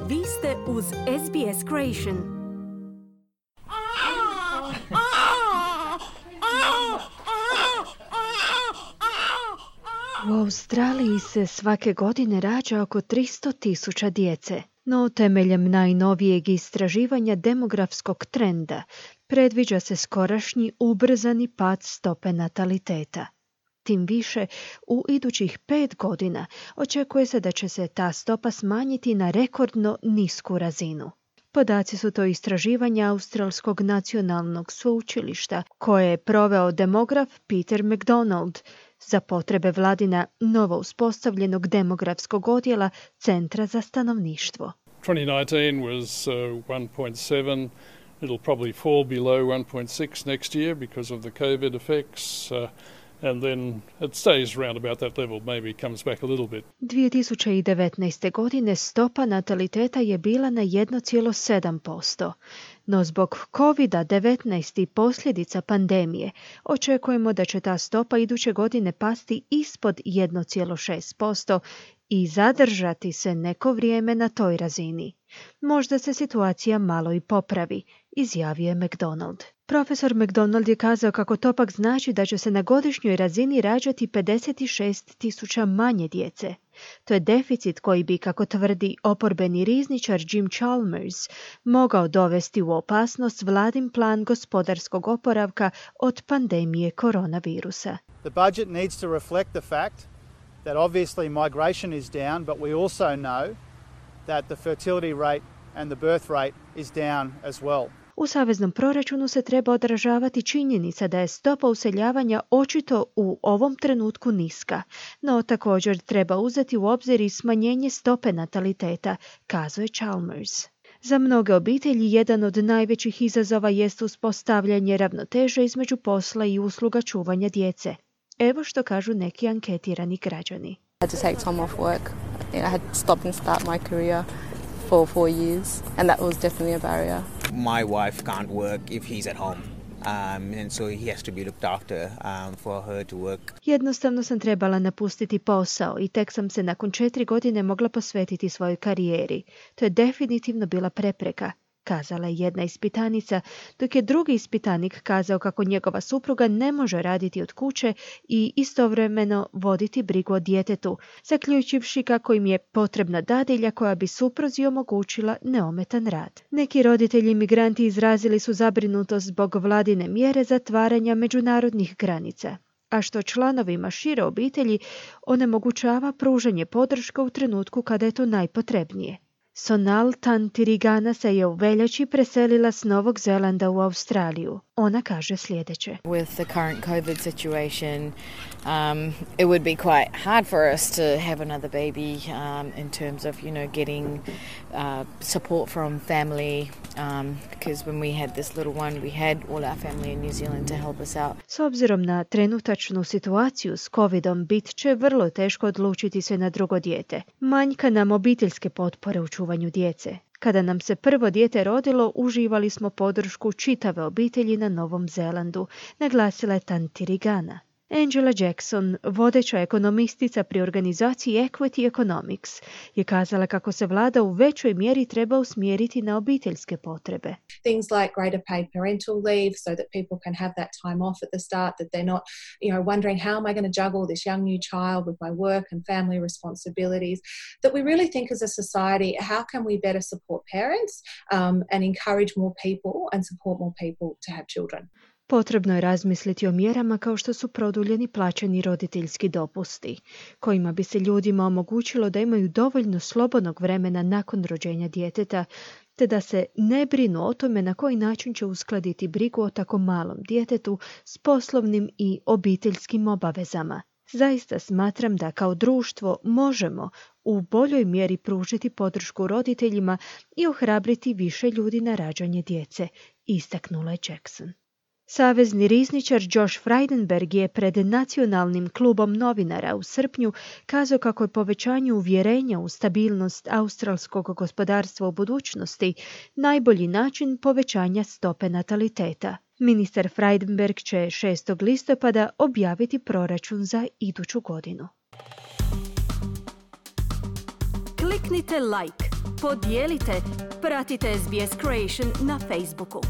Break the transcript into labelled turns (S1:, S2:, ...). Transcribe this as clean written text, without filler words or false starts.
S1: Vi ste uz SBS Creation.
S2: U Australiji se svake godine rađa oko 300.000 djece, no temeljem najnovijeg istraživanja demografskog trenda predviđa se skorašnji ubrzani pad stope nataliteta. Tim više, u idućih 5 godina očekuje se da će se ta stopa smanjiti na rekordno nisku razinu. Podaci su to istraživanja Australskog nacionalnog sveučilišta koje je proveo demograf Peter McDonald za potrebe vladina novo uspostavljenog demografskog odjela Centra za stanovništvo.
S3: 2019 was 1.7. It'll probably fall below 1.6 next year because of the COVID effects. And then it stays around about that level, maybe comes back a little bit.
S2: 2019. godine stopa nataliteta je bila na 1,7%, no zbog COVID-19 i posljedica pandemije očekujemo da će ta stopa iduće godine pasti ispod 1,6% i zadržati se neko vrijeme na toj razini. Možda se situacija malo i popravi, izjavio je McDonald. Profesor McDonald je kazao kako to pak znači da će se na godišnjoj razini rađati 56.000 manje djece. To je deficit koji bi, kako tvrdi oporbeni rizničar Jim Chalmers, mogao dovesti u opasnost vladin plan gospodarskog oporavka od pandemije koronavirusa.
S4: The budget needs to reflect the fact that obviously migration is down, but we also know that the fertility rate and the birth rate is down as well.
S2: U saveznom proračunu se treba odražavati činjenica da je stopa useljavanja očito u ovom trenutku niska, no također treba uzeti u obzir i smanjenje stope nataliteta, kazuje Chalmers. Za mnoge obitelji jedan od najvećih izazova jest uspostavljanje ravnoteže između posla i usluga čuvanja djece. Evo što kažu neki anketirani građani.
S5: I had to take time off work. I had to stop and start my career for 4 years, and that was definitely a barrier.
S6: My wife can't work if he's at home, and so he has to be looked after for her to work.
S2: Jednostavno sam trebala napustiti posao i tek sam se nakon 4 godine mogla posvetiti svojoj karijeri. To je definitivno bila prepreka, kazala je jedna ispitanica, dok je drugi ispitanik kazao kako njegova supruga ne može raditi od kuće i istovremeno voditi brigu o djetetu, zaključivši kako im je potrebna dadilja koja bi supruzi omogućila neometan rad. Neki roditelji imigranti izrazili su zabrinutost zbog vladine mjere zatvaranja međunarodnih granica, a što članovima šire obitelji onemogućava pružanje podrške u trenutku kada je to najpotrebnije. Sonal Tantirigana se je u veljači preselila s Novog Zelanda u Australiju. Ona kaže sljedeće.
S7: With the current COVID situation, it would be quite hard for us to have another baby in terms of, getting support from family, because when we had this little one, we had all our family in New Zealand to help us out.
S2: S obzirom na trenutačnu situaciju s COVID-om, bit će vrlo teško odlučiti se na drugo dijete. Manjka nam obiteljske potpore u čuvanju djece. Kada nam se prvo dijete rodilo, uživali smo podršku čitave obitelji na Novom Zelandu, naglasila je Tantirigana. Angela Jackson, vodeća ekonomistica pri organizaciji Equity Economics, je kazala kako se vlada u većoj mjeri treba usmjeriti na obiteljske potrebe.
S8: Things like greater paid parental leave so that people can have that time off at the start, that they're not, wondering how am I going to juggle this young new child with my work and family responsibilities, that we really think as a society, how can we better support parents and encourage more people and support more people to have children.
S2: Potrebno je razmisliti o mjerama kao što su produljeni plaćeni roditeljski dopusti, kojima bi se ljudima omogućilo da imaju dovoljno slobodnog vremena nakon rođenja djeteta, te da se ne brinu o tome na koji način će uskladiti brigu o tako malom djetetu s poslovnim i obiteljskim obavezama. Zaista smatram da kao društvo možemo u boljoj mjeri pružiti podršku roditeljima i ohrabriti više ljudi na rađanje djece, istaknula je Jackson. Savezni rizničar Josh Frydenberg je pred Nacionalnim klubom novinara u srpnju kazao kako je povećanje uvjerenja u stabilnost australskog gospodarstva u budućnosti najbolji način povećanja stope nataliteta. Ministar Frydenberg će 6. listopada objaviti proračun za iduću godinu.
S1: Kliknite like, podijelite, pratite SBS Creation na Facebooku.